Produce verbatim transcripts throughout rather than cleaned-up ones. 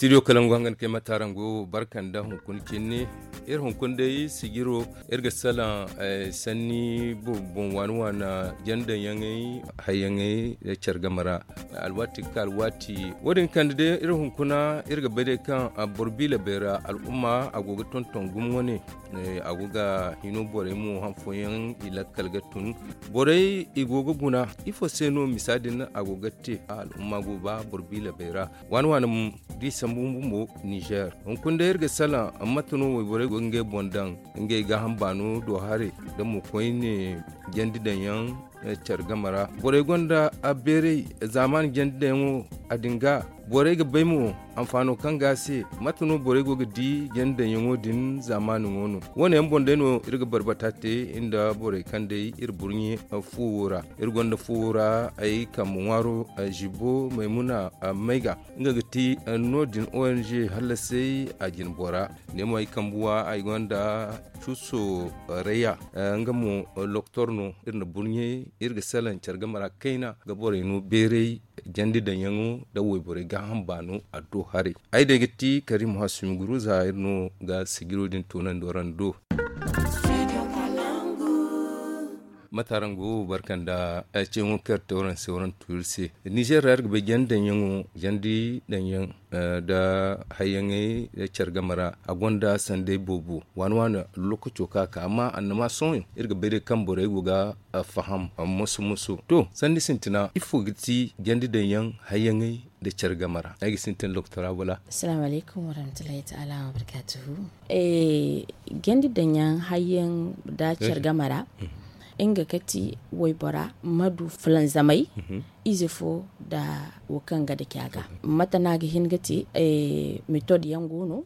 Studio kalangu hangan kay matarango barka nda hunkuna cinne. Iri hunkuna day sijiro iri ga salaŋ sanni boŋ waani waani jandaŋ yaŋey hayyaŋey care game ra. Alwaati ga ka alwaati wo- din kande day iri hunkuna iri ga bay day kaŋ boro biila beera al'umma a go ga tonton gumo wane. A go ga hino borey mo han fooyaŋ i lakkal ga tun. Borey i go ga guna ifo se no misa din a go ga te al'umma go ba boro biila beera waani waani da i sambu bumbo nizer. Hunkuna day iri ga salaŋ mate no wayborey go ga ngey boŋ daŋ ngey gaaham baano do haray da mo koyne jandi daŋ yaŋ care game ra. Borey gonda a beeray zaamaani jandi daŋ yaŋo a din ga borey ga bay mo hanfaano kaŋ ga a se. Mate no borey go ga di jandi daŋ yaŋo din zaamaani ŋo no wo- ne yaŋ boŋ day no iri ga barbata te nda borey kaŋ day iri burɲe fuwo ra. Iri gonda fuwo ra ay kambe ŋwaaro zibo maymuna mayga nga ga ti no- din ong hallasay a jine bora. Ne mo ay kambuwa ay gonda cuso raya nga mo loktor no iri na burɲey iri ga salaŋ care game ra kayna ga borey no beeray jandi daŋ yaŋo nda wayborey gaaham baano a do haray. Ay day ga ti karim hasumi guruza iri no ga sijiro din toonandi waraŋ do. Mate araŋ go barka nda ceeyaŋo kaŋ iri te waraŋ se waraŋ tu iri se nizer ra iri ga bay jandi daŋ yaŋo jandi daŋ yaŋ nda hayyaŋey care game ra a gonda sanday boobo waani waani lookaco kaŋ a ka amma annama sohõ iri ga bay day kaŋ borey go ga faham moso moso to sanni sintina ifo ga ti jandi daŋ yaŋ hayyaŋey nda care game ra ay ga sintin doktora bala. Asalaamu alaykum warahmatullahi taala wabarkaatuhu. Jandi daŋ yaŋ hayyaŋ nda care game ra nga ga ti waybora ma du fulanzamay ize fo nda wo kaŋ ga dake a ga mate no a ga hin ga te. Metod yaŋ go no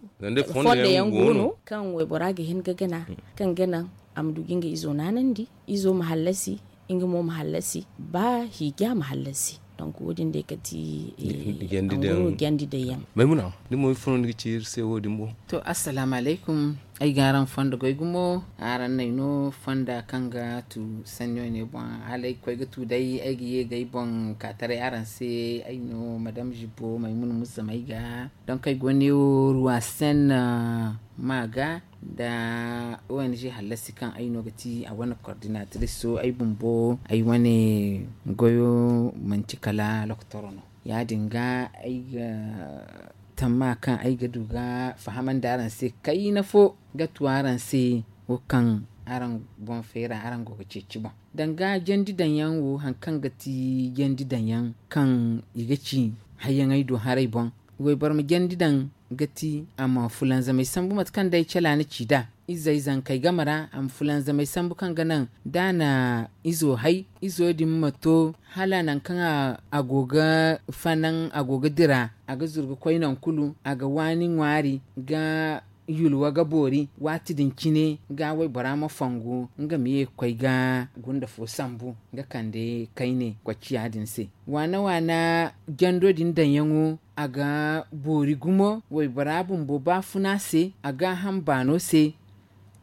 fondo yaŋ go no kaŋ waybora ga hin ga gana kaŋ ga naŋ a ma du ga nga izo naanandi izo ma hallasi nga mo ma hallasi ba hiija ma hallasi. Donc wo- din day ga ti jandi daŋ yaŋ. Maymuna ni mo ifo no ni ga ci iri se wo- din boŋ? To asalaamu alaykum. Ay ga araŋ fondo goy gumo araŋ no ay no fonda kaŋ ga tu sanni wo- ne boŋ hala ay ga koy ga tu day ay ga ye ga ay boŋ ka taray araŋ se. Ay no madam zibbo maymuna musa may ga donc ay go ne wo ruwasen ma ga nda ong hallasi kaŋ ay no ga ti a wane kordinatriso ay bumbo ay wane goyo manti kala loktoro no ya- din ga ay ga tamma kaŋ ay ga du ga fahamandi araŋ se kayna fo ga tu araŋ se wo kaŋ araŋ boŋ feera araŋ go ga ceeci boŋ danga jandi daŋ yaŋ wo hari kaŋ ga ti jandi daŋ yaŋ kaŋ i ga ci hayyaŋey do haray boŋ wayboro ma jandi daŋ ga ti a ma fulanzamay sambu mate kaŋ day cala na ci nd'a izey zankey game ra a ma fulanzamay sambu kaŋ ga naŋ da a na izo hay izo din ma to hala nangu kaŋ a go ga fanaŋ a go ga dira a ga zuru ga koy naŋ kulu a ga waani ŋwaari ga yulwa ga boori waati din cine ga waybora ma fongu nga ma ye ga koy ga gunda fo sambu ga kande kayne kwaciya din se waana waana jando din daŋyaŋo a ga boori gumo waybora bumbo baafuna se a gaaham baano se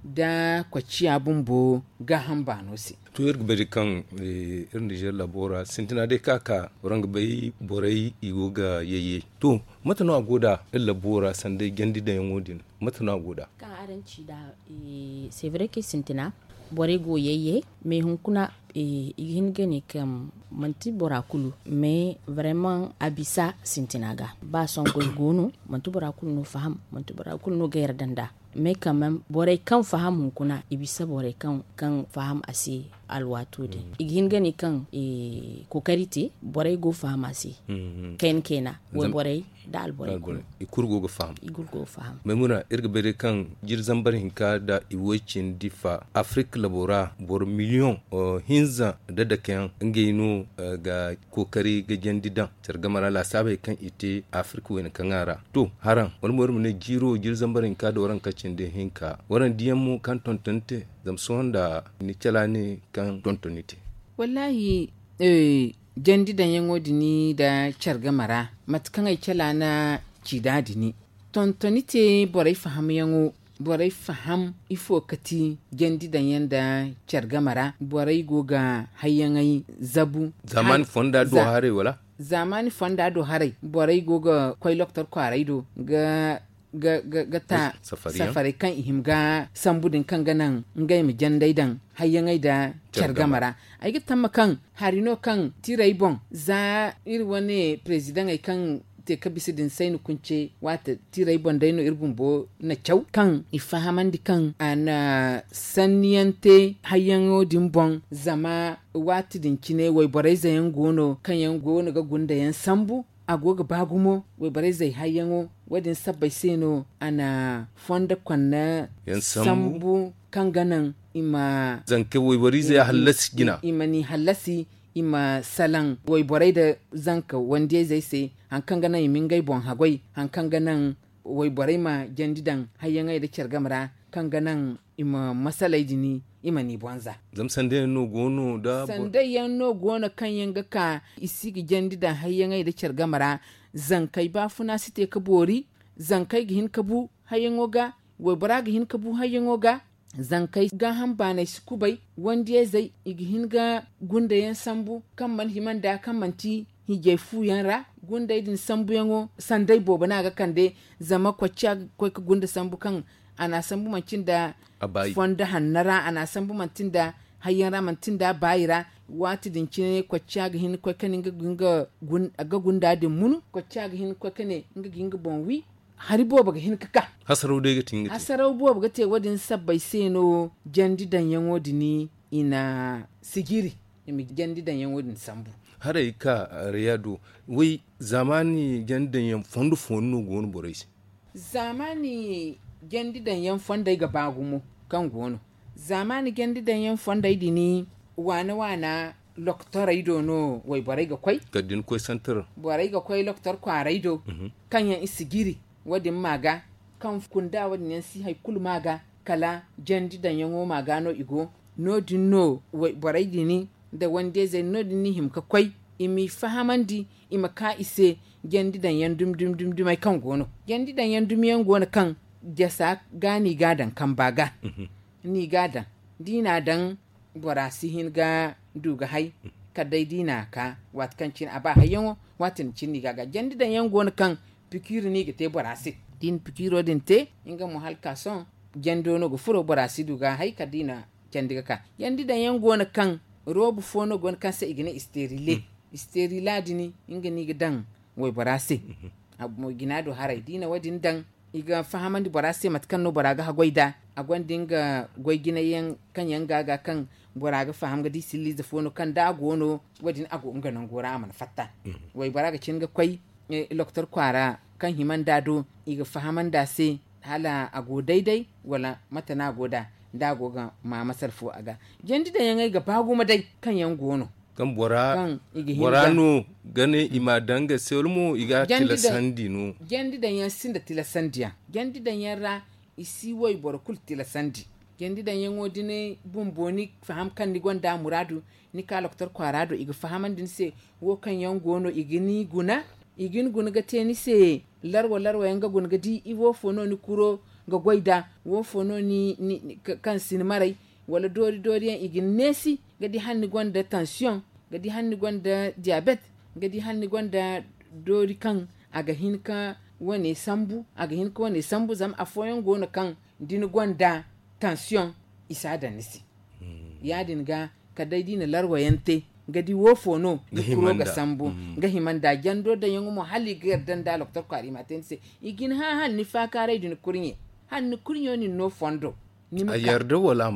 nda kwaciya bumbo gaaham baano se. To iri ga bay day kaŋ iri nizer labo ra sintina day kaŋ a ka boro nga bay borey i go ga yayye to mate no a go nd'a iri labo ra sanda jandi daŋyaŋo din mate no a go nd'a? Kaŋ araŋ ci nd'a sevre ke sintina borey go yayye mais hunkuna i ga hin ga ne kaŋ manti bora kulu mais vraiman a bisa sintina ga ba sangoy go no manti bora kulu no faham manti bora kulu no ga yarda nd'a mais quand même borey kaŋ faham hunkuna i bisa borey kaŋ faham a se alwaato din i ga hin ga ne kaŋ kookari te borey go faham a se kayna kayna wayborey nda alborey kulu i kulu go ga faham. Maymuna iri ga bay day kaŋ jiri zambar hinka nda i way cindi fa afirik labo ra boro miliyoŋ hinza nda dakeyaŋ ngey no ga kookari ga jandi daŋ care game ra laasaabey kaŋ i te afirik wayna kaŋa ra to haraŋ wala mo iri ma ne jiiro jiri zambar hinka nda waranka cindi hinka waraŋ diyaŋ mo kaŋ tonton te zama sohõ nda ni cala ne kaŋ tonton ni te? Wallaahi jandi daŋyaŋo din nda care game ra mate kaŋ ay cala na ci nd'a din tonton ni te borey fahamyaŋo borey faham ifo ga ti jandi daŋyaŋ nda care game ra borey go ga hayyaŋey zabu zaamaani fonda do haray wala? Zaamaani fonda do haray borey go ga koy loktor kwaaray do ga ta safaray kaŋ i hima ga sambu din kaŋ ga naŋ ngey ma jandey daŋ hayyaŋey nda care game ra. Ay ga tamma kaŋ hari no kaŋ tiray boŋ za iri wane parezidaŋey kaŋ te ka bisa din sayni kunce waati tiray boŋ day no iri bumbo na caw kaŋ i fahamandi kaŋ a na sanniyaŋ te hayyaŋo din boŋ. Zama waati din cine wayborey ze yaŋ go no kaŋ yaŋ go no ga gunda yaŋ sambu a go ga ba gumo wayborey zey hayyaŋo. Wo- din sabbay se no a na fondo konna sambu kaŋ ga naŋ i ma zanka wayborey zey hallasi jina i ma ni hallasi i ma salaŋ wayborey nda zanka wandiyey zey se. Hari kaŋ ga naŋ i ma ngey boŋ haggoy hari kaŋ ga naŋ wayborey ma jandi daŋ hayyaŋey nda care game ra kaŋ ga naŋ i ma masaley din i ma ni boŋ za. Zama sanday yaŋ no go no da sanday yaŋ no go no kaŋ yaŋ ga ka i si ga jandi daŋ hayyaŋey nda care game ra. Zankey baafuna si te ga boori. Zankey ga hin ga bu hayyaŋo ga. Waybora ga hin ga bu hayyaŋo ga. Zankey gaaham baaney si kubay. Wandiyey zey i ga hin ga gunda yaŋ sambu kaŋ mana hima nda kaŋ manti hiijay fu yaŋ ra. Gundey din sambuyaŋo sanday boobo no a ga kande. Zama kocciya ga koy ga gunda sambu kaŋ a na a sambu manti nda fondo hanno ra a na a sambu manti nda hayyaŋ ra manti nda baayi ra. Waati din cine kocciya ga hin ga koy ga ne nga ga gunda din munu kocciya ga hin ga koy ga ne nga ga hin ga boŋ wi. Hari boobo ga hin ga ka hasaraw boobo ga te wo- din sabbay se no jandi daŋyaŋo din i na sijiri i ma jandi daŋyaŋo din sambu. Haray ga ka riyado way zaamaani jandi daŋyaŋ fondo fooyaŋ no go no borey se. Zaamaani jandi daŋyaŋ fondey ga ba gumo kaŋ go no zaamaani jandi daŋyaŋ fondey din waana waana loktorey do no wayborey ga koy borey ga koy loktor kwaaray do kaŋ yaŋ i si jiri wo- din ma ga kaŋ kunda wo- din yaŋ si hari kulu ma ga kala jandi daŋyaŋo ma ga no i go. No- din no borey din nda wandiyey zey no- din no i hima ga koy i m'i fahamandi i ma ka i se jandi daŋ yaŋ dumi dumi dumi dumey kaŋ go no jandi daŋ yaŋ dumi yaŋ go no kaŋ jasa ga no i ga a daŋ kamba ga no i ga a daŋ da i na a daŋ bora si hin ga du ga hay kala day da i na a ka waati kaŋ cine a ba hayyaŋo waati din cine no i ga a ga jandi daŋ yaŋ go no kaŋ pikiiri no i ga te bora se da i na pikiiro din te nga mo hala ga ka sohõ jando no ga furo bora si du ga hay kala da i na candi ga ka jandi daŋ yaŋ go no kaŋ roobu fo no go no kaŋ se i ga ne isterile isterila din nga no i ga daŋ waybora se. Jina do haray da i na wo- din daŋ i ga fahamandi bora se mate kaŋ no bora ga haggoy nd'a a gonda nga goy jinay yaŋ kaŋ yaŋ ga a ga kaŋ bora ga faham ga di silliize fo no kaŋ da a go no wo- din a go nga nango ra a mana fatta. Waybora ga cin ga koy loktor kwaara kaŋ hima nd'a do i ga fahamandi a se hala a go day-day wala mate no a go nd'a da a go ga ma masala fo a ga. Jandi daŋ yaŋey ga ba gumo day kaŋ yaŋ go no kaŋ bora no ga ne i ma daŋ ga se wala mo i ga a tilasandi no. Jandi daŋ yaŋ sinda tilasandi yaŋ jandi daŋ yaŋ ra i si wayboro kulu tilasandi. Jandi daŋ yaŋo da ni bumbo ni faham kaŋ ni gonda muraadu ni ka loktor kwaara do i ga fahamandi ni se wo kaŋ yaŋ go no i ga ni guna i ga ni guna ga te ni se larwa larwa yaŋ ga guna ga di i wo fo no ni kuro ga goy nd'a wo fo no ni kaŋ si ni maray wala doori doori yaŋ i ga ni neesi ga di hala ni gonda tansiyoŋ ga di hala ni gonda diyabet ga di hala ni gonda doori kaŋ a ga hin ga wane sambu a ga hin ga wane sambu zama afooyaŋ go no kaŋ da ni gonda tansiyoŋ i si a daŋ ni se. Ya- din ga kala day da i na larwa yaŋ te ga di wo fo no ni kuro ga sambu ga hima nd'a jando daŋ yaŋo mo hala i ga yarda nd'a loktor kwaara i ma a te ni se i ga ni hã hala ni faakaaray din kurɲe hala ni kurɲo nin no fondo. A yarda wala a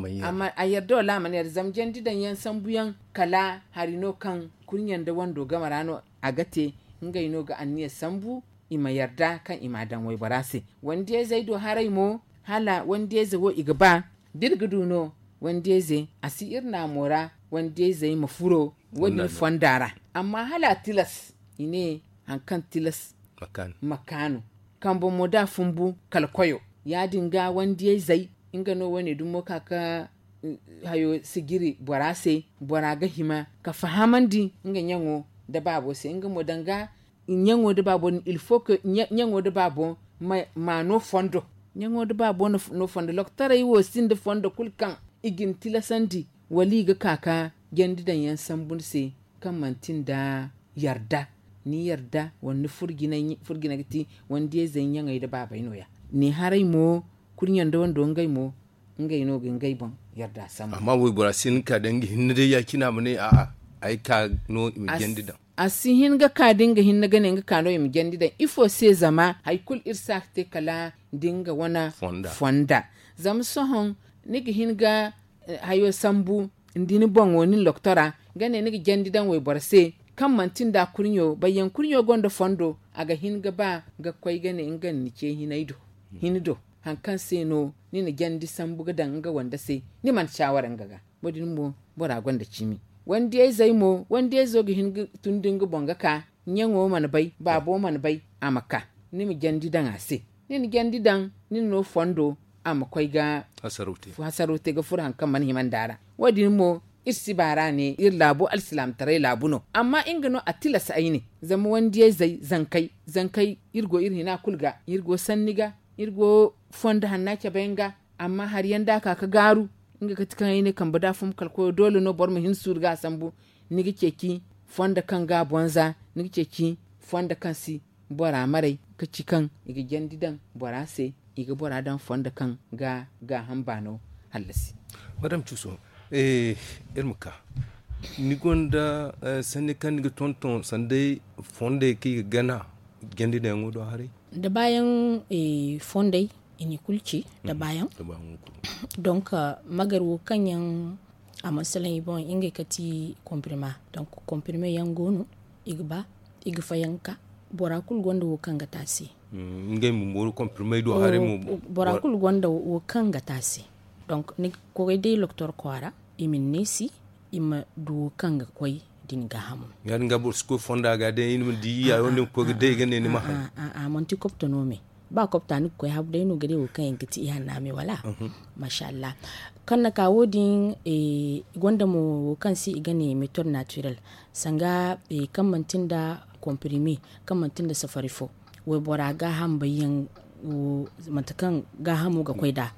mana yarda zama jandi daŋ yaŋ sambu yaŋ kala hari no kaŋ kurɲe nda wando game ra no a ga te ngey no ga anniya sambu i ma yarda kaŋ i ma a daŋ waybora se. Wandiyayzey do haray mo hala wandiyayze wo i ga ba da iri ga du no wandiyayze a si iri naamo ra wandiyayzey ma furo wo- din fonda ra. Amma hala a tilas i ne hari kaŋ tilas ma kaanu kambe mo da a fumbu kala koyo ya- din ga wandiyayzey nga no wane dumo ka ga hayo sijiri bora se bora ga hima ga fahamandi nga ɲaŋo nda baabo se nga mo danga ɲaŋo nda baabo din ilfo ka ɲaŋo nda baabo ma no fondo. Ɲaŋo nda baabo no fondo loktaray wo sinda fondo kulu kaŋ i ga ni tilasandi wala i ga ka ga jandi daŋ yaŋ sambu ni se kaŋ manti nda yarda ni yarda wala ni furo jinay ga ti wandiyayzey ɲaŋey nda baabey no- ya. Ni haray mo kurɲo nda wando ngey mo ngey no ga ngey boŋ yarda sambu. Amma waybora si hin ga ka day nga hinne day ya- cine a ma ne a'a, ay ka no i ma jandi daŋ. A si hin ga ka da nga hinne ga ne nga ka no i ma jandi daŋ ifo se zama hari kulu iri si a ga te kala da nga wane fonda. Zama sohõ ni ga hin ga hayo sambu nda ni boŋo nin loktora ga ne ni ga jandi daŋ wayboro se kaŋ manti nda kurɲo bayyaŋ kurɲo gonda fondo a ga hin ga ba ga koy ga ne nga nda ni ce hina do. Hari kaŋ se no ni na jandi sambu ga daŋ nga wande se ni mana cawara nga ga. Wo- din mo bora gonda cimi. Wandiyayzey mo wandiyayzo ga hin ga tun da nga boŋ ga ka ɲaŋo mana bay baabo mana bay a ma ka ni ma jandi daŋ a se. Ni na jandi daŋ ni na no fondo a ma koy ga hasaro te ga furo hari kaŋ mana hima nd'a ra. Wo- din mo iri si baara ne iri laabu alsilaamataray laabu no amma nga no a tilas ay ne. Zama wandiyayzey zankey zankey iri go iri hina kulu ga iri go sanni ga iri go fondo hanna cabe yaŋ ga. Amma hari yaŋ da a ka ga gaaru nga ga ti kaŋ ay ne kambe da fum kala koyo doole no boro ma hin suuru ga a sambu. Ni ga ceeci fondo kaŋ ga a bonza ni ga ceeci fondo kaŋ si bora maray ga ci kaŋ i ga jandi daŋ bora se i ga bora daŋ fondo kaŋ ga gaaham baano hallasi. Madame cuuso, iri ma ka ni gonda sanni kaŋ ni ga tonton sanda fondey kaŋ i ga gana jandi daŋ yaŋo do haray? Da baayaŋ fondey i na i kulu ci da baayaŋ. Donk magar wo kaŋ yaŋ a mana salaŋ i boŋ ngey ga ti komprima donk komprime yaŋ go no i ga ba i ga fayanka. Bora kulu gonda wo kaŋ ga te a se. Ngey bumbo komprime do haray mo. Bora kulu gonda wo kaŋ ga te a se. Donk ni ga koy day loktor kwaara i ma ni neesi i ma du wo kaŋ ga koy da ni gaahamo. Ya- din ga boro si koy fonda ga day ni ma di ya- wo- din ga koy ga day ga ne ni ma haŋ. A'a manti kopto no me ba kopta ni ga koy habu day no ga day wo kaŋ yaŋ ga ti i hanna me wala? Masha allah. Kaŋ na ka wo- din i gonda mo wo kaŋ se i ga ne metod naturel sanga kaŋ manti nda komprime kaŋ manti nda safari fo waybora gaaham bayyaŋ mate kaŋ gaahamo ga koy nd'a.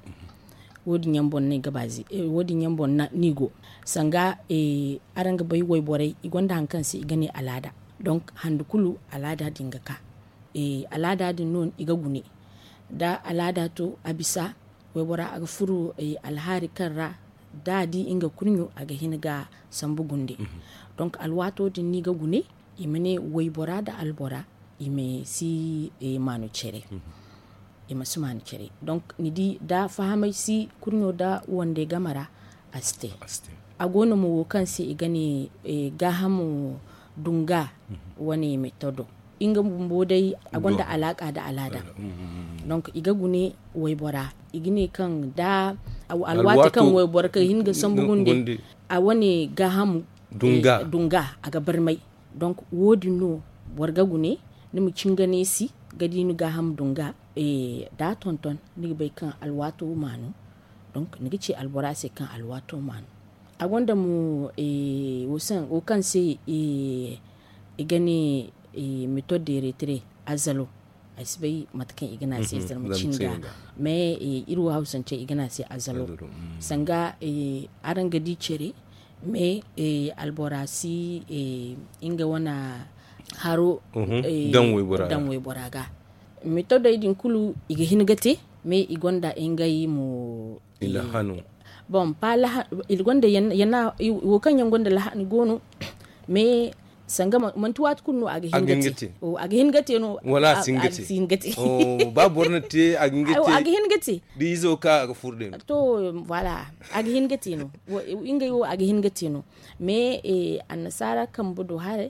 Wo- din yaŋ boŋ no i ga baazi wo- din yaŋ boŋ no i go sanga araŋ ga bay wayborey i gonda hari kaŋ se i ga ne alaada. Donk handu kulu alaada din ga ka alaada din no i ga gune. Da alaada to a bisa waybora a ga furo alhaari kaŋ ra da a di nga kurɲo a ga hin ga sambu gunde. Donk alwaato din no i ga gune i ma ne waybora nda albora i ma si maanu care. I ma si maanu care donk ni di da fahamay si kurɲo nda wande game ra a si te. A go no mo wo kaŋ se i ga ne gaahamo dunga wane metodo nga bumbo day a gonda alaaka nda alaada. Donk i ga gune waybora i ga ne kaŋ da alwaati kaŋ waybora ga hin ga sambu gunde a wane gaahamu dunga a ga barmay. Donk wo- din no boro ga gune ni ma cinga neesi ga di ni gaaham dunga da a tonton ni ga bay kaŋ alwaato maanu. Donk ni ga ci albora se kaŋ alwaato maanu a gonda mo wo kaŋ se i ga ne metod de retire azalo. Ay si bay mate kaŋ i ga ne a se zama cinga mais iri wo hawsance i ga ne a se azalo. Sanga araŋ ga di cere mais albora si nga wane haro daŋ waybora ga. Metodey din kulu i ga hin ga te mais i gonda ngey mo. Bon pa lahani wo kaŋ yaŋ gonda lahani go no mais sanga manti waati kulu no a ga hin ga te no wala a si hin ga te. Ba boro na te a ga hin ga te. Da izo ka a ga furo day no to voilà a ga hin ga te no. Ngey wo a ga hin ga te no mais annasaara kambe do haray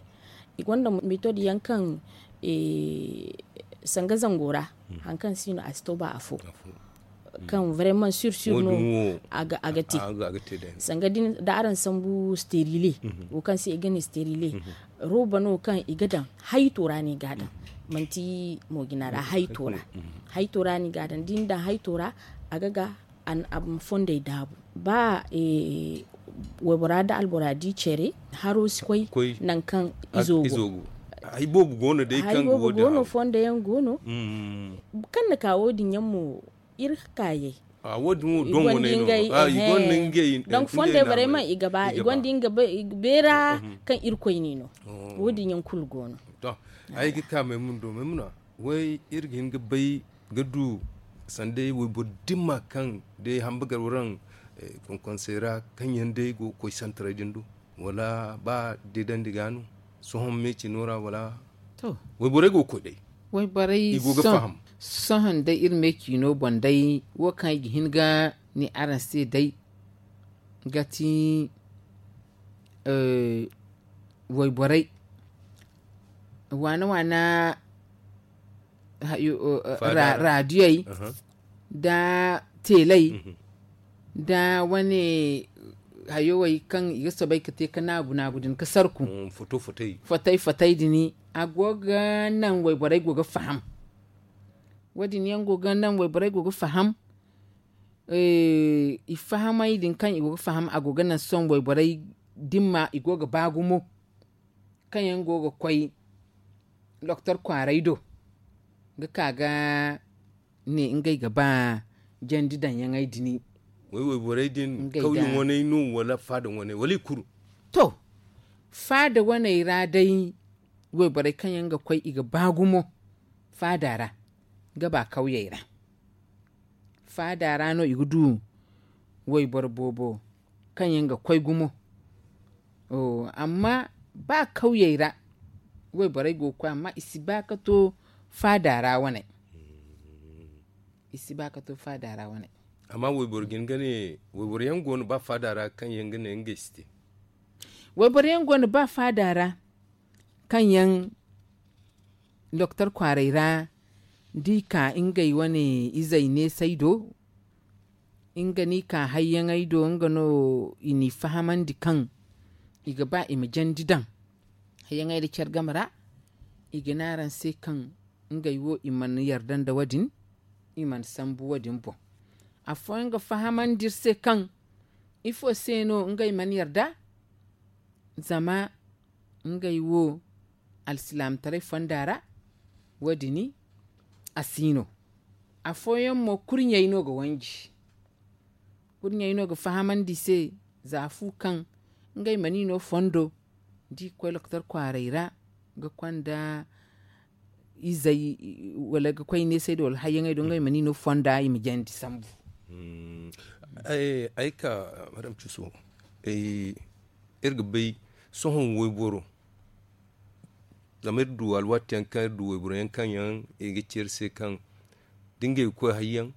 i gonda metod yaŋ kaŋ sanga zango ra hari kaŋ si no a si to ba afo kaŋ vraiment sur sur no a ga te. Sanga da araŋ sambu sterile wo kaŋ se i ga ne sterile roba no kaŋ i ga daŋ hayto ra no i ga a daŋ manti mo jina ra hayto ra. Hayto ra no i ga a daŋ da i na daŋ hayto ra a ga ga a ma fondey daabu ba waybora nda albora di cere haro si koy nangu kaŋ izo go. Hay boobo go no day kaŋ ga wo- din haro fondey yaŋ go no kaŋ na ka wo- din yaŋ mo iri kaayey. Wo- din wo dongo ne no i gonda ngey donk fondey barey man i ga ba i gonda nga beera kaŋ irkoy ne no. Wo- din yaŋ kulu go no. To, ay ga ka maymuna do maymuna, way iri ga hin ga bay ga du sanda wayboro dimma kaŋ day hamba gar waraŋ konkonsey ra kaŋ yaŋ day go ga koy santaray din do, wala ba deedandi ga no sohõ me cino ra wala? To, wayborey go ga koy day. Wayborey i go ga faham. Sohõ day iri me cino boŋ day wo kaŋ ay ga hin ga ne araŋ se day ga ti wayborey waana waana raadiyey nda teeley nda wane hayowey kaŋ i ga soobay ga te ga naagu naagu din ga sarku. Fotay fotay din a go ga naŋ wayborey go ga faham. Wo- din yaŋ go ga naŋ wayborey go ga faham. I fahamay din kaŋ i go ga faham a go ga naŋ sohõ wayborey dimma i go ga ba gumo kaŋ yaŋ go ga koy doktor kwaaray do ga ka ga ne ngey ga ba jandi daŋyaŋey din. Wayborey din kawye wane no wala faada wane wala i kulu? To, faada waney ra day wayborey kaŋ yaŋ ga koy i ga ba gumo faada ra ga ba kawyey ra. Faada ra no i ga du wayboro boobo kaŋ yaŋ ga koy gumo. Amma ba kawyey ra wayborey go ga koy amma i si ba ga to faada ra wane. I si ba ga to faada ra wane. Amma wayboro ga hin ga ne wayboro yaŋ go no ba faada ra kaŋ yaŋ ga ne ngey si te. Wayboro yaŋ go no ba faada ra kaŋ yaŋ doktor kwaaray ra da i ka ngey wane izey neesay do nga no i ka hayyaŋey do nga no i n'i fahamandi kaŋ i ga ba i ma jandi daŋ hayyaŋey nda care game ra. I ga ne araŋ se kaŋ ngey wo i mana yarda nda wo- din i mana sambu wo- din boŋ. Afooyaŋ ga fahamandi iri se kaŋ ifo se no ngey mana yarda? Zama ngey wo alsilaamataray fonda ra wo- din a si no. Afooyaŋ mo kurɲey no ga wanji. Kurɲey no ga fahamandi i se za fu kaŋ ngey mana i no fondo da i ga koy lokotor kwaaray ra ga konda izey wala ga koy neesey do wala hayyaŋey do ngey mana i no fonda i ma jandi sambu. Ay ka madam cuso iri ga bay sohõ wayboro zama iri du alwaati yaŋ kaŋ iri du wayboro yaŋ kaŋ yaŋ i ga ci iri se kaŋ da ngey ga koy hayyaŋ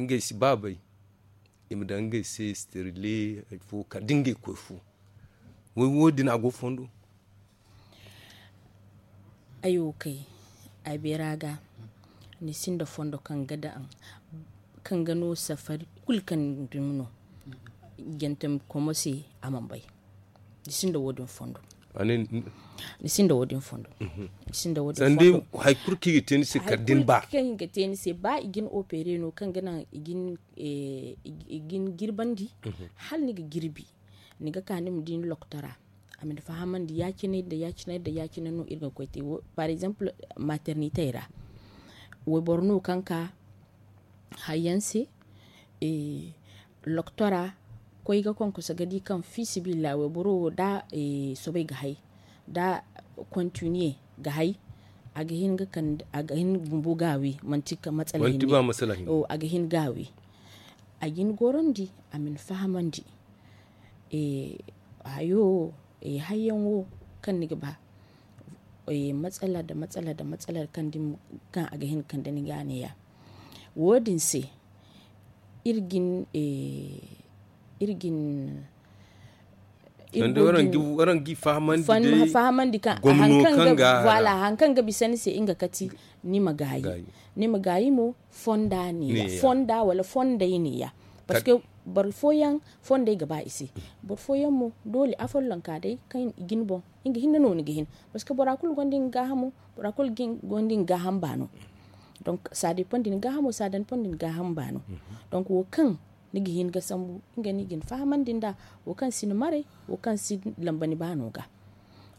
ngey si ba bay i ma daŋ ngey se sterile hari fo ka da ngey koy fu. Way wo- din a go fondo. Ay wo kay a beera ga ni sinda fondo kaŋ ga daŋ kaŋ ga no safari kulu kaŋ dumi no jantam komo se a mana bay. Ni sinda wo- din fondo. Ni sinda wo- din fondo. Ni sinda wo- din fondo. Hari kulu kaŋ i ga te ni se kala da ni ba kaŋ i ga te ni se ba i ga ni opere no kaŋ ga naŋ i ga ni girbandi hala ni ga girbi ni ga ka ni ma di ni lokotora. A ma ni fahamandi ya- cine nda ya- cine nda ya- cine no iri ga koy te. Par exemple maternitey ra wayboro no kaŋ ka hayyaŋ se lokotora koy ga konkoso ga di kaŋ fiisabilillahi wayboro wo da soobay ga hay da kontiniye ga hay a ga hin ga kande a ga hin bumbo ga wi manti ka matsala hinne. A ga hin ga wi a ga hin gorandi a ma ni fahamandi hayo wo hayyaŋ wo kaŋ ni ga ba matsala nda matsala nda matsala kaŋ a ga hin ga kande ni ga a ne ya wo- din se iri ga ni iri ga ni fahamandi kaŋ hari kaŋ ga bisa ni se nga kati ni ma gaayi ni ma gaayi mo fonda ne ya fonda wala fondey ne ya. Parce que boro fooyaŋ fondey ga ba i se boro fooyaŋ mo doole afollonka day kaŋ i ga ni boŋ nga hinne no ni ga hin. Parce que bora kulu gonda nga gaahamo bora kulu gonda nga gaaham baano. Donc ça dépend da ni gaahamo ça dépend da ni gaaham baano. Donc wo kaŋ ni ga hin ga sambu nga no i ga ni fahamandi nda wo kaŋ si ni maray wo kaŋ si lamba ni baano ga.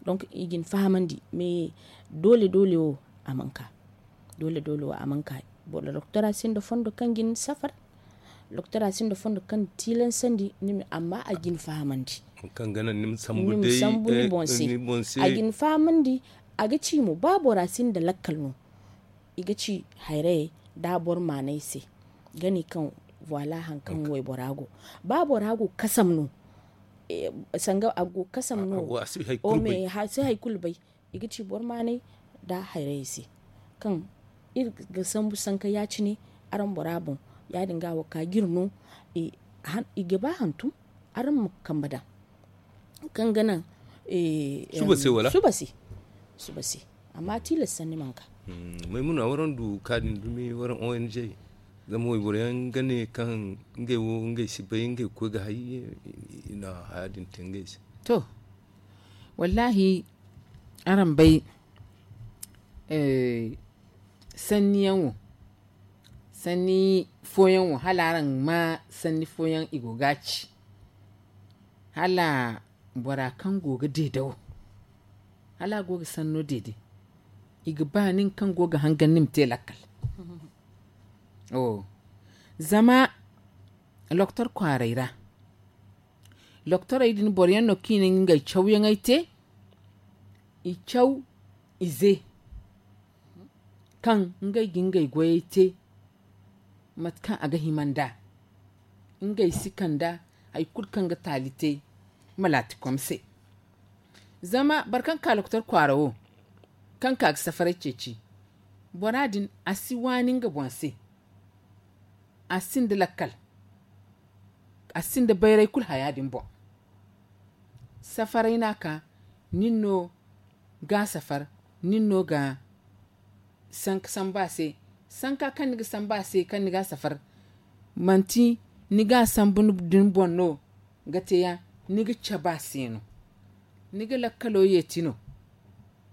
Donc i ga ni fahamandi mais doole doole wo a mana ka doole doole wo a mana ka. Boro doktora sinda fondo kaŋ ga ni safar doktora sinda fondo kaŋ tilansandi ni ma amma a ga ni fahamandi. Kaŋ ga naŋ ni ma sambu ni boŋ se a ga ni fahamandi. A ga ci mo ba bora sinda lakkal no, i ga ci hayrayey da boro maanay se, ga ne kaŋ, voilà hari kaŋ waybora go. Ba bora go kasam no, sanga a go kasam no, a si hari kulu bay. I ga ci boro maanay da hayrayey se, kaŋ iri ga sambu sanka ya-cine araŋ bora boŋ. Ya-din ga a wo ka ga iri no, i ga ba hantum, araŋ ma kambe daŋ kaŋ ga naŋ suba se wala? Suba se. Amma tilas sanni mana ka. Maymuna waraŋ du ka din dumi waraŋ ong. Zama wayboro yaŋ ga ne kaŋ ngey wo ngey si bay ngey ga koy ga hay. I na haya din te ngey se. To, wallahi, araŋ bay sanni yaŋ wo, sanni fooyaŋ wo hala araŋ ma sanni fooyaŋ i go ga a ci. Hala bora kaŋ go ga deede wo, hala a go ga sanno deede, i ga ba nin kaŋ go ga hangan ni ma te lakkal. Zama loktor kwaaray ra, loktorey din boro yaŋ no kaŋ i na ngey cawyaŋey te. I caw ize kaŋ ngey ga ngey goyey te mate kaŋ a ga hima nd'a. Ngey si kand'a hari kulu kaŋ ga taali te malaatikom se. Zama boro kaŋ ka loktor kwaara wo, kaŋ ka ga safaray ceeci, bora din a si waani nga boŋ se. A sinda lakkal, a sinda bayray kulu haya din boŋ. Safaray no a ka, nin no ga a safar, nin no ga sanka sambu a se. Sanka kaŋ ni ga sambu a se kaŋ ni ga a safar, manti ni ga a sambu ni boŋ no ga te ya, ni ga cabe a se no. Ni ga lakkalo yeeti no.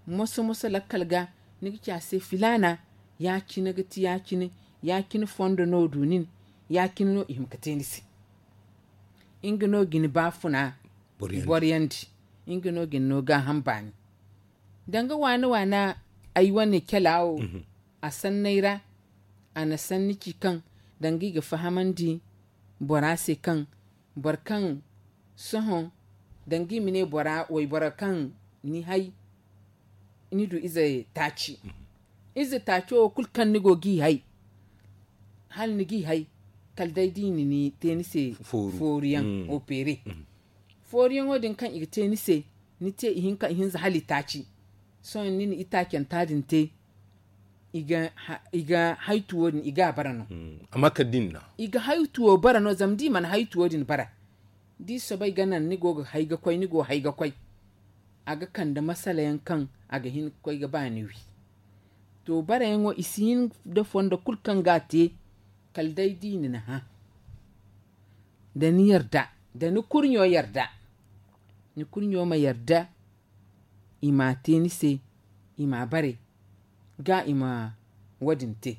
Moso moso lakkal ga, ni ga ci a se filaana, ya-cine ga ti ya-cine, ya-cine fondo no du nin, ya-cine no i hima ga te ni se. Nga no ga ni baafuna boryandi. Nga no ga ni no gaaham baani. Danga waana waana ay wane cala wo, a sanney ra, a na sanni ci kaŋ danga i ga fahamandi bora se kaŋ boro kaŋ sohõ danga i ma ne bora wayboro kaŋ ni hay, ni du ize taaci. Ize taaco wo kulu kaŋ ni go g'i hay, hala ni g'i hay, kala day da i na ni te ni se fooru yaŋ, opere. Fooru yaŋo din kaŋ i ga te ni se, ni te ihinka ihinza hala itaaci. Sohõ ni na itaacanta din te, i ga haytuwo din i ga a bara no. Amma kala da ni na i ga haytuwo bara no zama da i mana haytuwo din bara, da i soobay ga naŋ ni go ga hay ga koy ni go hay ga koy, a ga kande masala yaŋ kaŋ a ga hin ga koy ga ba ni wi. To barayaŋo i si hin da fondo kulu kaŋ ga a te, kala day da i na ni hã, da ni yarda, da ni kurɲo yarda, ni kurɲo ma yarda i m'a te ni se, i m'a bare ga i ma wo- din te.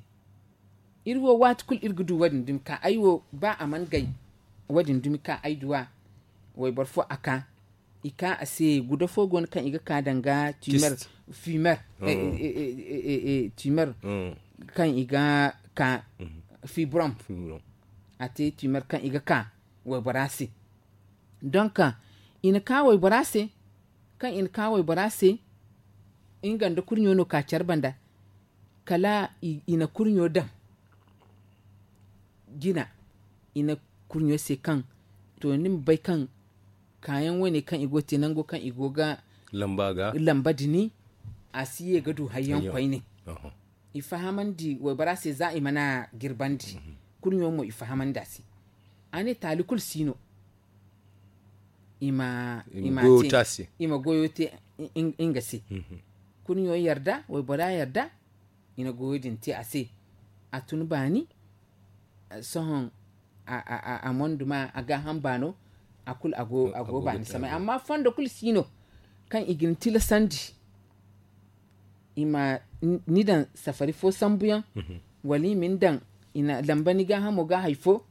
Iri wo waati kulu iri ga du wo- din dumi ka ay wo ba a mana gay, wo- din dumi ka ay du a. Wayboro fo a ka, i ka a se guda fo go no kaŋ i ga ka danga timer, fimer, timer kaŋ i ga ka, fibrom. A te timer kaŋ i ga ka waybora se. Donk i na ka waybora se, kaŋ i na ka waybora se, nga nda kurɲo no ka care banda, kala i na kurɲo daŋ jina. I na kurɲo se kaŋ, to ni ma bay kaŋ kaayaŋ wane kaŋ i go ga te nango kaŋ i go ga lamba din, a si ye ga du hayyaŋ koyne. I fahamandi waybora se za i mana girbandi. Kurɲo mo i fahamandi a se. A ne taali kulu si no. I ma goyo te a se, i ma goyo te nga se. Kurɲo yarda waybora yarda, i na goyo din te a se. A tun baani. Sohõ a monduma a gaaham baano, a kulu a go baani samay amma fondo kulu si no kaŋ i ga ni tilasandi. I ma ni daŋ safari fo sambuyaŋ, wala i ma ni daŋ i na lamba ni gaahamo ga hari fo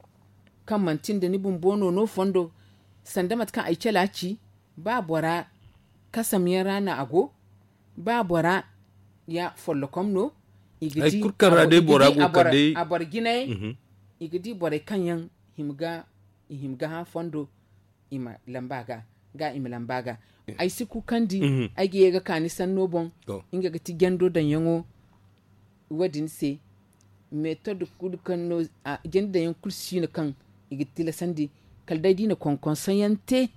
kaŋ manti nda ni bumbo no no fondo. Sanda mate kaŋ ay cala ci, ba bora kasamyaŋ ra no a go, ba bora ya follokom no. I ga di a boro jinayey, i ga di borey kaŋ yaŋ i hima ga hã fondo, i ma lamba ga. ga i ma lamba ga. Ay si kukandi, ay ga ye ga ka ni sanno boŋ. Nga ga ti jando daŋyaŋo wo- din se. Metod kulu kaŋ no jando daŋyaŋ kulu si no kaŋ i ga tilasandi kala day da i na konkonso yaŋ te.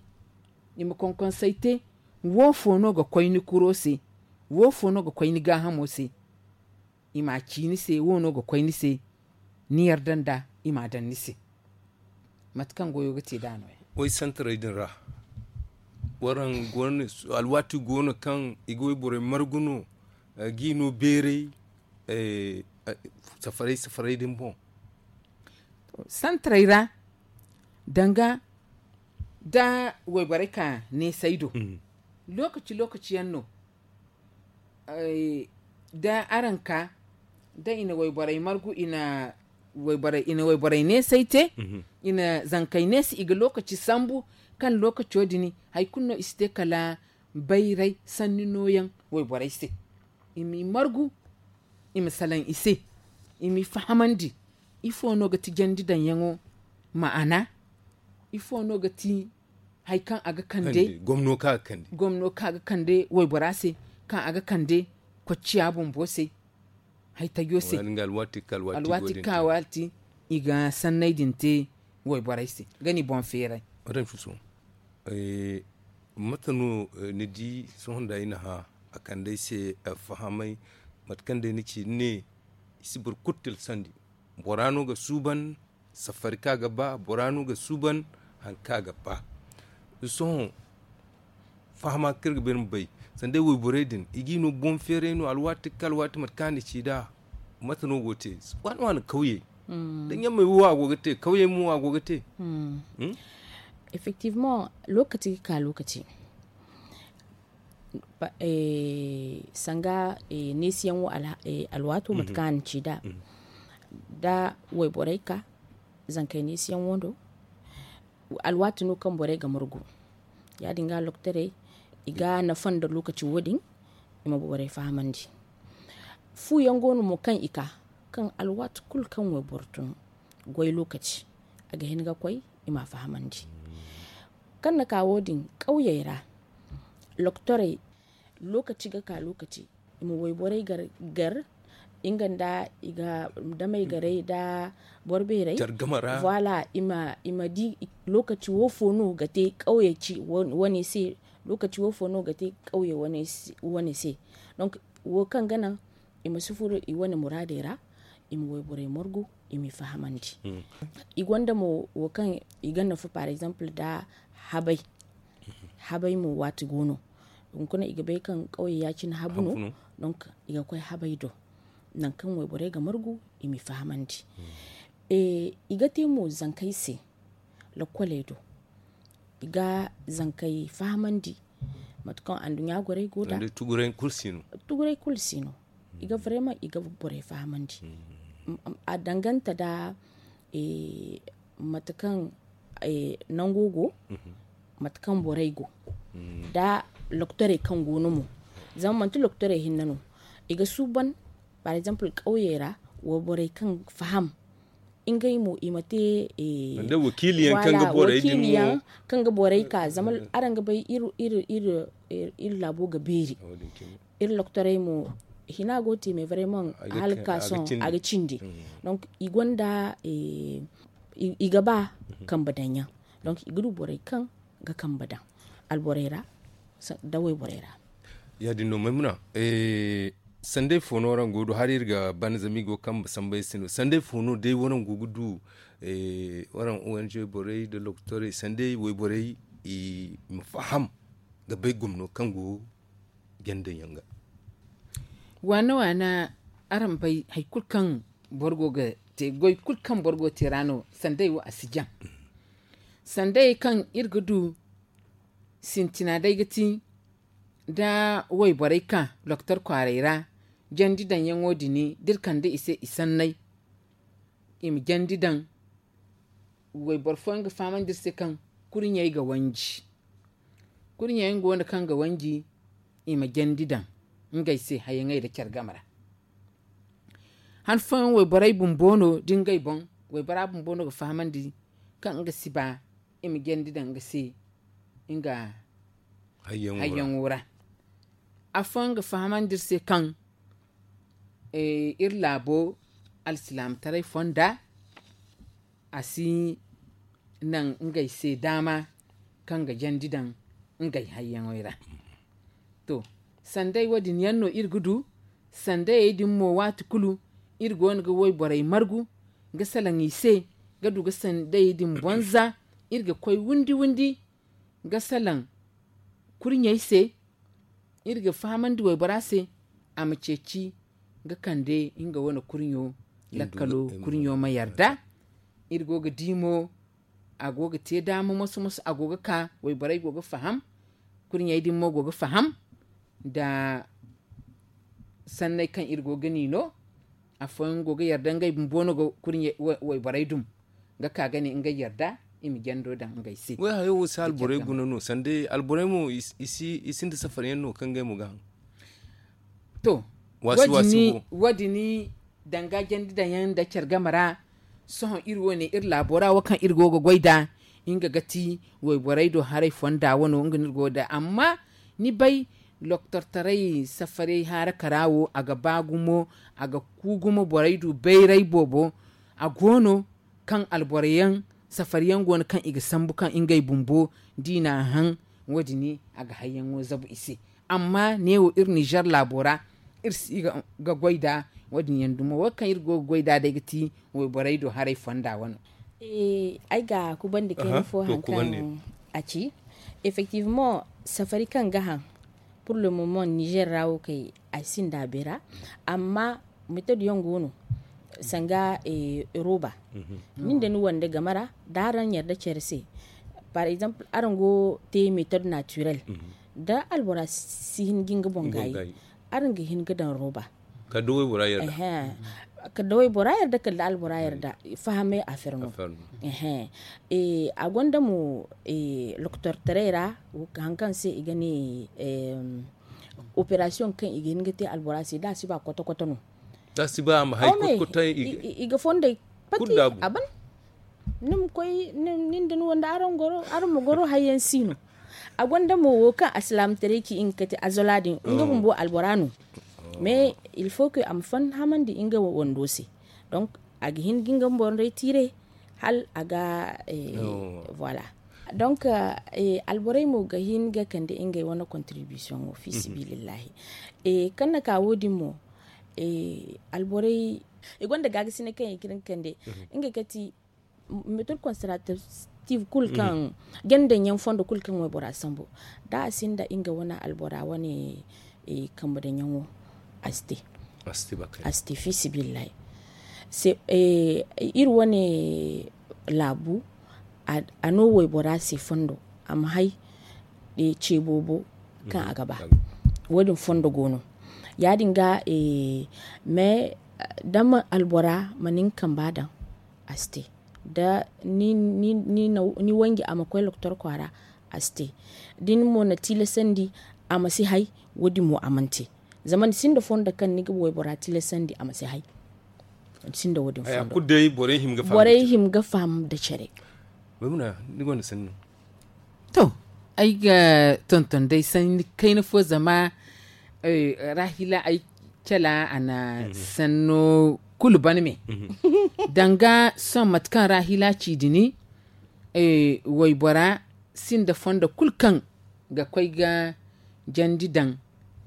I ma konkonso ay te. Wo fo no ga koy ni kuro se? Wo fo no ga koy ni gaahamo se? I m'a ci ni se wo no ga koy ni se? Ni yarda nd'a i m'a daŋ ni se. Mate kaŋ goyo ga te nd'a no- ya. Way santaray din ra waraŋ go no alwaati go no kaŋ i ga wayborey margu no ga i no beeray safaray safaray din boŋ. Santaray ra danga da wayborey ka neesay do. Lookaci lookaci yaŋ no da araŋ ka da i na wayborey margu i na wayborey neesay te. I na zankey neesi i ga lookaci sambu kaŋ lookaco din hari kulu no i si te kala bayray sanni nooyaŋ wayborey se. I m'i margu i ma salaŋ i se i m'i fahamandi. Ifo no ga ti jandi daŋyaŋo ma'ana? Ifo no ga ti hari kaŋ a ga kande gomno kaŋ a ga kande waybora se kaŋ a ga kande kocciya bumbo se? Hari tajo se alwaati kaŋ alwaati i ga sanney din te wayborey se ga ni boŋ feeray. Mate no ni di sohõ nda ay na hã a kande ay se fahamay mate kaŋ day ni ci ni ne i si boro kulu tilsandi. Bora no ga suuban safari kaŋ a ga ba bora no ga suuban hari kaŋ a ga ba. Sohõ fahama kaŋ iri ga ba iri ma bay sanda ay wayborey din i ga i no boŋ feeray no alwaati kaŋ alwaati mate kaŋ a na ci nd'a. Mate no go te waani waani kawyey da ɲamey wo a go ga te kawyey mo a go ga te. Effectivement lokaci ga ka lokaci sanga neesiyaŋo alwaato mate kaŋ a na ci nd'a da wayborey ka zankey neesiyaŋo do. Alwaati no kaŋ borey ga margu ya- din ga loktorey i ga nafa nda lokaci wo- din i ma borey fahamandi. Fu yaŋ go no mo kaŋ i ka kaŋ alwaati kulu kaŋ wayboro tun goy lokaci a ga hin ga koy i m'a fahamandi. Kaŋ na ka wo- din kawyey ra loktorey lokaci ga ka lokaci i ma wayborey gar nga nda i ga damey garay nda boro beerey. Voilà i ma di lokaci wo fo no ga te kawye ci wane se lokaci wo fo no ga te kawye wane se. Donc wo kaŋ ga naŋ i ma si furo i wane muraadey ra i ma wayborey margu i m'i fahamandi. I gonda mo wo kaŋ i ga nafa par exemple nda habay habay mo waati go no. Hunkuna i ga bay kaŋ kawye ya- cine habu no. Donc i ga koy habay do nangu kaŋ wayborey ga margu i m'i fahamandi. I ga te mo zankey se lokkoley do i ga zankey fahamandi mate kaŋ anduɲɲa gorey go nd'a. Tuguray kulu si no i ga vraiment i ga borey fahamandi. A danganta nda mate kaŋ nango go mate kaŋ borey go nda loktorey kaŋ go no mo. Zama manti loktorey hinne no i ga suuban par exemple kawyey ra wayborey kaŋ faham ngey mo i ma te wakiiliyaŋ kaŋ ga borey ka zama araŋ ga bay iri laabo ga beeri. Iri loktorey mo hina go te mais vraiment hala ga ka sohõ a ga cindi. Donc i gonda i ga ba kambe daŋ yaŋ. Donc i ga du borey kaŋ ga kambe daŋ alborey ra nda wayborey ra. Ya- din no maymuna sandey fo no waraŋ go ga du hari iri ga ban zama i go kambe sambey se no sandey fo no day waraŋ go ga du waraŋ ong borey nda lokotorey sandey wayborey i ma faham ga bay gomno kaŋ go janda yaŋ ga. Waana waana araŋ bay hari kulu kaŋ boro go ga te goy kulu kaŋ boro go ga te ra no sandey wo a si jaŋ. Sandey kaŋ iri ga du sintina day ga ti da wayborey ka lokotor kwaaray ra jandi daŋ yaŋo din da iri kande i se i sanney i ma jandi daŋ. Wayboro fooyaŋ ga fahamandi iri se kaŋ kurɲey ga wanji kurɲey yaŋ go no kaŋ ga wanji i ma jandi daŋ ngey se hayaŋey nda care game ra. Han fooyaŋ wayborey bumbo no da ngey boŋ waybora bumbo no ga fahamandi kaŋ nga si ba i ma jandi daŋ nga se nga Hayyaŋo ra. Afooyaŋ ga fahamandi iri se kaŋ iri laabo alsilaamataray fonda a si naŋ ngey se daama kaŋ ga jandi daŋ ngey hayyaŋey ra. To, sanday wo- din yaŋ no iri ga du. Sandayey din mo waati kulu iri go no ga wayborey margu ga salaŋ i se, ga du ga sandayey din bonza. Iri ga koy windi windi ga salaŋ kurɲey se. Iri ga fahamandi waybora se a ma ceeci ga kande nga wane kurɲo lakkalo kurɲo ma yarda. Iri go ga di mo a go ga te daama moso moso a go ga ka wayborey go ga faham. Kurɲey din mo go ga faham nda sanney kaŋ iri go ga ni no. Afooyaŋ go ga yarda ngey bumbo no ga kurɲe wayborey dum ga ka ga ne ngey yarda i ma jando daŋ ngey se. Way hayo wo si alborey guna no sanda alborey mo i sinda safar yaŋ no kaŋ ngey mo ga haŋ. To, wo- din danga jandi daŋ yaŋ nda care game ra. Sohõ iri wo ne iri laabo ra wo kaŋ iri go ga goy nd'a nga ga ti wayborey do haray fonda wano nga no iri go ga da amma ni bay loktortaray safarey haaraka ra wo a ga ba gumo. A ga ku gumo borey du bayray boobo. A go no kaŋ alboro yaŋ safari yaŋ go no kaŋ i ga sambu kaŋ ngey bumbo da i n'a haŋ. Wo- din a ga hayyaŋo zabu i se. Amma neewo iri nizer laabo ra iri si ga goy nd'a. Wo- din yaŋ dumo wo kaŋ iri go ga goy nd'a day ga ti wayborey do haray fonda wano. Ay ga kubandi kayna fo hari kaŋ a ci effektivement safari kaŋ ga haŋ. Pour le moment nizer ra wo kay ay sinda beera. Amma metod yaŋ go no sanga roba. Ni nda ni wande game ra da araŋ yarda care se. Par exemple araŋ go te metod naturel da albora si hin ga nga boŋ gaayi. Araŋ ga hin ga daŋ roba. Kala da waybora yarda kala da albora yarda fahamay affaire no. A gonda mo loktor taray ra hari kaŋ se i ga ne operation kaŋ i ga hin ga te albora se da a si ba kwata kwata no. Da a si ba a ma hay kwata kwata i ga fondey pati a ban. Ni ma koy nin da ni wanda araŋ ma goro hari yaŋ si no. A gonda mo wo kaŋ a silaamataray ci nga kate azola din nga bumbo albora no. Mais il faut que a ma fahamandi nga wando se. Donc a ga hin ga nga bumbo day tiire hala a ga voilà. Donc alborey mo ga hin ga kande ngey wane contribution wo fi sabilillahi. Kaŋ na ka wo- din mo alborey i gonda gaagasinay kaŋ i ga hin ga kande nga kate méthode conservative kulu kaŋ jandaŋ yaŋ fondo kulu kaŋ waybora sambu da a sinda nga wane albora wane kambe daŋ yaŋo a si te. A si te fi sabilillahi. Iri wane laabu a no waybora se fondo a ma hay ce boobo kaŋ a ga ba. Wo- din fondo go no ya- din ga mais da albora ma nin kamba daŋ a si te. Da ni wanji a ma koy loktor kwaara a si te. Da ni mo na tilasandi a ma si hay. Wo- din mo a mana te zama ni sinda fondo kaŋ ni ga waybora tilasandi a ma si hay. Ni sinda wo- din fondo borey hima ga faham da care. Ni gonda sanni no. To ay ga tonton day sanni kayna fo zama rahila ay cala a na sanno kulu ban me. Danga sohõ mate kaŋ rahila ci dini waybora sinda fondo kulu kaŋ ga koy ga jandi daŋ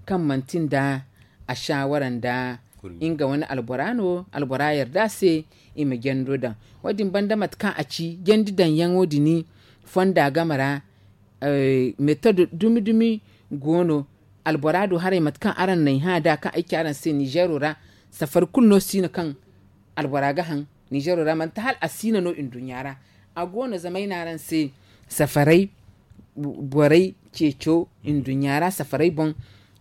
kaŋ manti nda a shawara nda nga wane albora no albora yarda se i ma jando daŋ. Wo- din banda mate kaŋ a ci jandi daŋ yaŋo dini fonda game ra. Metod dumi dumi go no albora do haray mate kaŋ araŋ na ay hã da kaŋ ay ci araŋ se nizero ra safari kulu no si no kaŋ albora ga haŋ. Nizero ra manti hala a si no no nduɲɲa ra a go no zama ay ne araŋ se safaray borey ceeco nduɲɲa ra safaray boŋ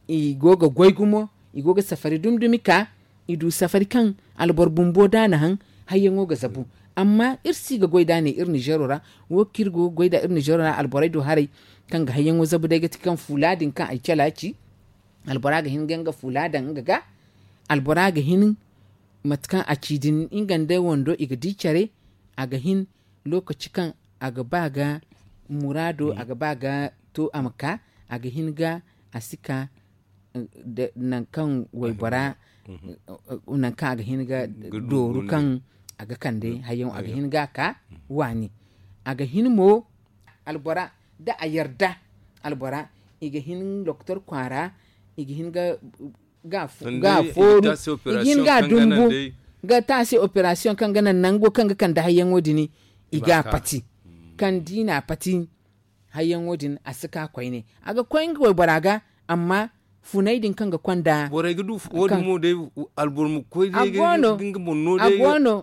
i go ga goy gumo i go ga safari dumi dumi ka i du safari kaŋ alboro bumbo da a na haŋ. Hayyaŋo ga zabu amma iri si ga goy da ne iri nizero ra wo kaŋ iri go ga goy da iri nizero ra alborey do haray kaŋ ga hayyaŋo zabu day ga ti kaŋ fuula din kaŋ ay cala ci albora ga hin ga nga fuula daŋ nga ga albora ga hin mate kaŋ a ci din nga nda wando i ga di care a ga hin lokaci kaŋ a ga ba ga muraado a ga ba ga to a ma ka A ga hin ga a si ka nangu kaŋ waybora nangu kaŋ a ga hin ga dooru kaŋ a ga kande hayyaŋo a ga hin ga a ka waani. A ga hin mo albora da a yarda albora i ga hin doktor kwaara i ga hin ga fooru i ga hin ga dumbu ga taasi operasiyoŋ kaŋ ga naŋ nango kaŋ ga kande hayyaŋo din i ga a pati kaŋ da i na a pati hayyaŋo din a si ka koyne a ga koy nga waybora ga amma funay din kaŋ ga konda borey ga du wo- din mo day alboro ma koy day ga nga boŋ no day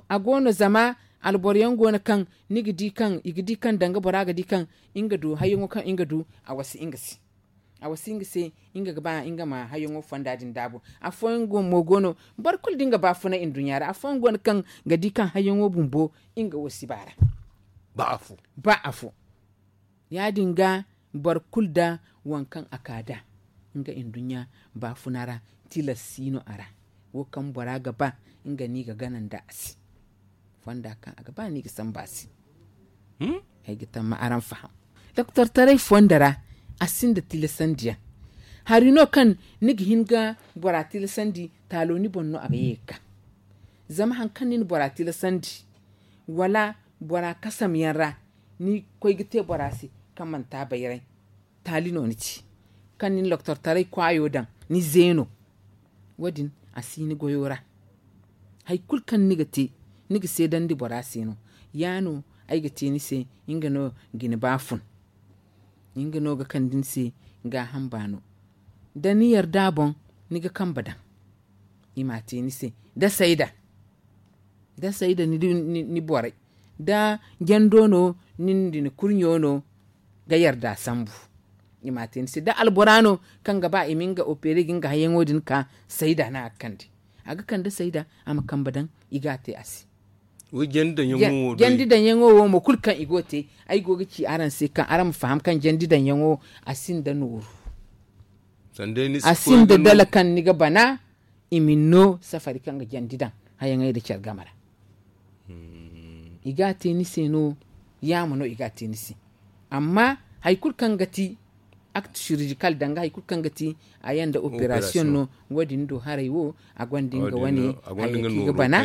a go no zama alboro yaŋ go no kaŋ ni ga di kaŋ i ga di kaŋ danga bora ga di kaŋ nga du hayyaŋo kaŋ nga du a wasi nga se a wasi nga se nga ga ba nga ma hayyaŋo fonda din daabu. Afooyaŋ mo go no boro kulu da nga ba funay nduɲɲa ra afooyaŋ go no kaŋ ga di kaŋ hayyaŋo bumbo nga wo si ba ra ba afo ya- din ga boro kulu da waŋ kaŋ a ka da nga nduɲɲa baafuna ra tilas si no a ra. Wo kaŋ bora ga ba nga no i ga gana nda a se fonda kaŋ a ga ba no i ga sambu a se. Ay ga tamma araŋ faham doktortaray fonda ra a sinda tilasandi yaŋ hari no kaŋ ni ga hin ga bora tilasandi taalo ni boŋ no a ga ye ga ka zama hari kaŋ ni na bora tilasandi wala bora kasam yaŋ ra ni koy ga te bora se kaŋ mana te a bayray taali no ni ci kaŋ ni na loktortaray kwaayo daŋ ni zeeno wo- din a si ni goyo ra hari kulu kaŋ ni ga te ni ga seedandi bora se no ya no ay ga te ni se nga no ga ni baafun nga no ga kande ni se gaaham baano da ni yarda boŋ ni ga kambe daŋ i m'a te ni se da sayda da sayda ni borey da jando no nin din kurɲo no ga yarda sambu i m'a te ni se da albora no kaŋ ga ba i ma nga opere ga nga hayyaŋo din ka sayda no a ga kande a ga kande sayda a ma kambe daŋ i ga a te a se jandi daŋyaŋo wo mo kulu kaŋ i go ga te ay go ga ci araŋ se kaŋ araŋ ma faham kaŋ jandi daŋyaŋo a sinda nooru a sinda dala kaŋ ni ga bana i ma ni no safari kaŋ ga jandi daŋ hayaŋey nda care game ra i ga a te ni se no yaama no i ga a te ni se amma hari kulu kaŋ ga ti akti sirijikal danga hari kulu kaŋ ga ti a yaŋ nda operasiyoŋ no wo- din do haray wo a gonda nga wane hayey kaŋ i ga bana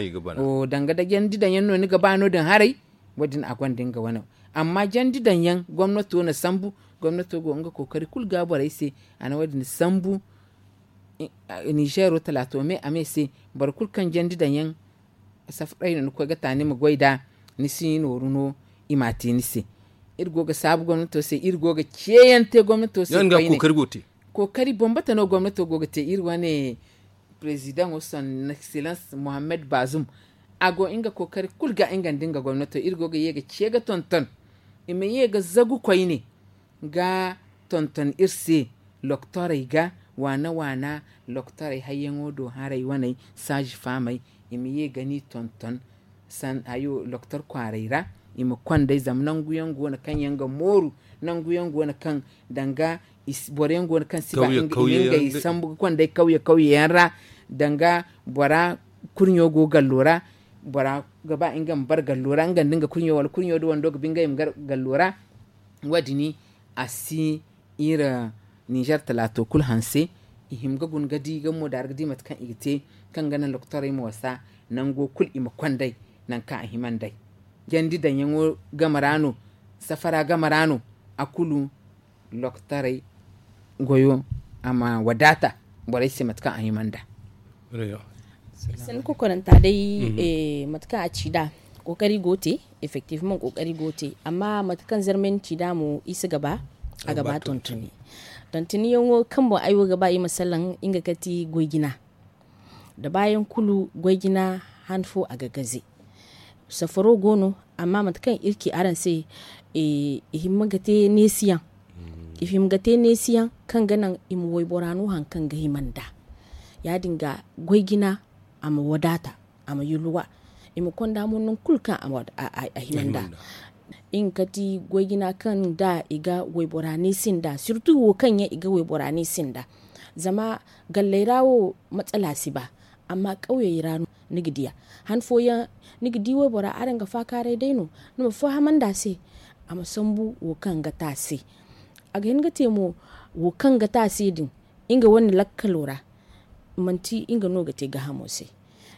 danga da jandi daŋ yaŋ no ni ga ba no- din haray wo- din a gonda nga wane amma jandi daŋ yaŋ gomnato na sambu gomnato go nga kookari kulu ga borey se a na wo- din sambu nizeero talaato me a me se boro kulu kaŋ jandi daŋ yaŋ safaray no ni koy ga ta ni ma goy nd'a ni si nooru no i m'a te ni se iri go ga saabu gomnato se iri go ga ceeyaŋ te gomnato se koy ne kookari bambata no gomnato go ga te iri wane president son excellence mohammed bazum a go nga kookari kulu ga nga nda nga gomnato iri go ga ye ga ce ga tonton i ma ye ga zagu koyne ga tonton iri se loktorey ga waana waana loktorey hayyaŋo do haray waney saazi faamey i ma ye ga ni tonton loktor kwaaray ra i ma konday zama nangu yaŋ go no kaŋ yaŋ ga mooru nangu yaŋ go no kaŋ danga boro yaŋ go no kaŋ si ba i ma ngey sambu ga konday kawye kawye yaŋ ra danga bora kurɲo go gallo ra bora ga ba nga ma bare gallo ra nga nda nga kurɲo wala kurɲo da wando ga ba ngey ma gallo ra wo- din a si iri nizer talaato kulu hanse i hima ga guna ga di ga mo daara ga di mate kaŋ i ga te kaŋ ga naŋ loktorey ma wasa nango kulu i ma konday nangu kaŋ a hima nd'ey jandi daŋyaŋo game ra no safara game ra no a kulu loktorey goyo a ma wadaata borey se mate kaŋ a hima nd'a sanni kokoranta day mate kaŋ a ci nd'a kookari go te effektivement kookari go te amma mate kaŋ zarmay na ci nd'a mo i si ga ba a ga ba tontoni tontoniyaŋo kaŋ boŋ ay wo ga ba i ma salaŋ nga kati goy jina da baayaŋ kulu goy jina han fo a ga gaze safaro go no amma mate kaŋ iri ci araŋ se i hima ga te neesiyaŋ i hima ga te neesiyaŋ kaŋ ga naŋ i ma waybora no hari kaŋ ga hima nd'a ya- din ga goy jina a ma wadaata a ma yulwa i ma konda mo nangu kulu kaŋ a hima nd'a nga kati goy jina kaŋ da i ga waybora neesi nd'a sirtu wo kaŋ yaŋ i ga waybora neesi nd'a zama galley ra wo matsala si ba amma kawyey ra no ni ga diya han fooyaŋ ni ga di waybora araŋ ga faakaaray day no ni ma fahamandi a se a ma sambu wo kaŋ ga te a se a ga hin ga te mo wo kaŋ ga te a se din nga wane lakkalo ra, manti nga no ga te gaahamo se.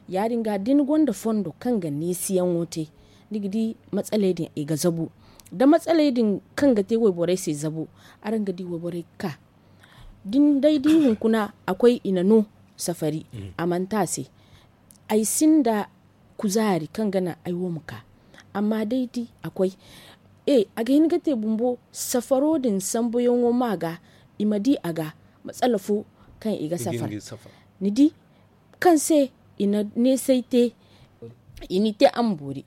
Ya- din ga da ni gonda fondo kaŋ ga neesiyaŋo te, ni ga di matsaley din i ga zabu. Da matsaley din kaŋ ga te wayborey se zabu, araŋ ga di wayborey ga ka. Din day di hunkuna a koy i na no safari, a manti a se. Ay sinda kuzaari kaŋ ga naŋ ay wo ma ka. Amma day di a koy, e a ga hin ga te bumbo safaro din sambuyaŋo ma ga, i ma di a ga matsala fo kaŋ i ga safar. Ni di kaŋ se i na neesay te, i n'i te a ma boori.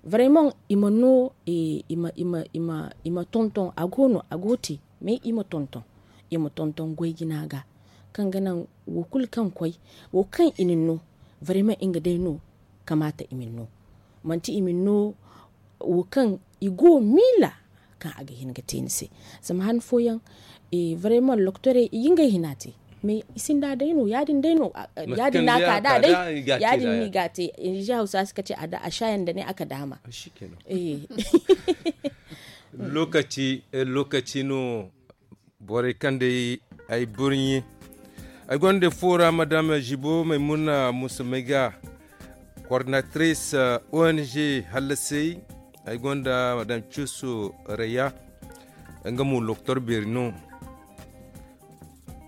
Varaymaŋ i ma no i ma tonton a go no a go te. Mais i ma tonton i ma tonton goy jina ga kaŋ ga naŋ wo kulu kaŋ koy, wo kaŋ i nin no. Varaymaŋ nga day no kamaata i ma ni no. Manti i ma ni no wo kaŋ i go miila kaŋ a ga hin ga te ni se. Zama han fooyaŋ varaymaŋ loktorey i ga ngey hina te. Mais i sinda day no ya- din day no. Ya- din no a ka da day. Ya- din no i ga a te. Inji hawsa si ka ci a saayaŋ da ne a ka daama. Lookaci no. Borey kaŋ day ay burɲe ay gonda foora madame jibo maymuna musa may ga, coordinatrice ong hallasey. Ay gonda madame cuusu raya, nga mo loktor beeri no.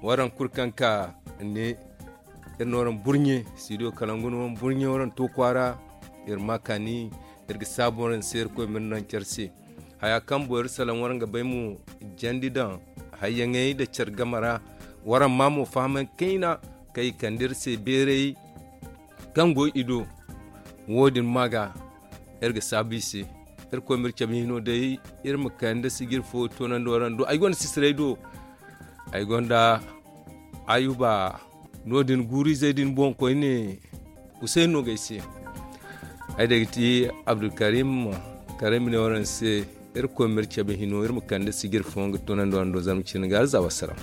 Waraŋ kulu kaŋ ka ne iri no waraŋ burɲe studio kalangu no waraŋ burɲe waraŋ to kwaara. Iri ma kaani iri ga saabu waraŋ se iri koy ma iri naŋ care se. Haya kaŋ boori salaŋ waraŋ ga bay mo jandi daŋ hayyaŋey nda care game ra. Waraŋ ma mo fahamay kayna kaŋ i kande iri se beeray kaŋ go i do. Wo- din ma ga iri ga saabu i se. Iri koy ma iri cabe hino day iri ma kande sijir fo toonandi waraŋ do ay gonda sisiray do. Ay gonda ayuba no- din guurizey din boŋ koyne. Usay no ga ay se ay day ga ti abdulkarim karay ma ne waraŋ se. Iri koy ma iri cabe hino iri ma kande sijir fo nga toonandi waraŋ do zarma cine ga alza wassalam.